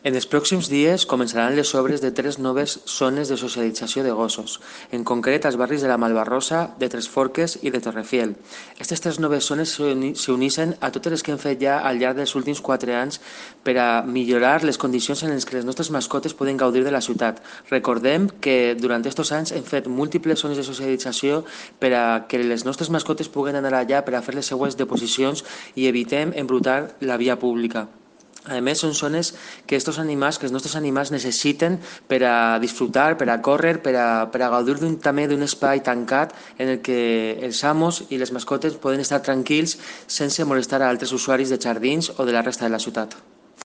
En els pròxims dies començaran les obres de tres noves zones de socialització de gossos, en concret als barris de la Malvarrosa, de Tres Forques i de Torrefiel. Aquestes tres noves zones s'uneixen a totes les que hem fet ja al llarg dels últims 4 anys per a millorar les condicions en les que les nostres mascotes poden gaudir de la ciutat. Recordem que durant aquests anys hem fet múltiples zones de socialització per a que les nostres mascotes puguen anar allà per a fer les seues deposicions i evitem embrutar la via pública. A més, són zones que que els nostres animals necessiten per a disfrutar, per a córrer, per a gaudir també d'un espai tancat en el que els amos i les mascotes poden estar tranquils sense molestar a altres usuaris de jardins o de la resta de la ciutat.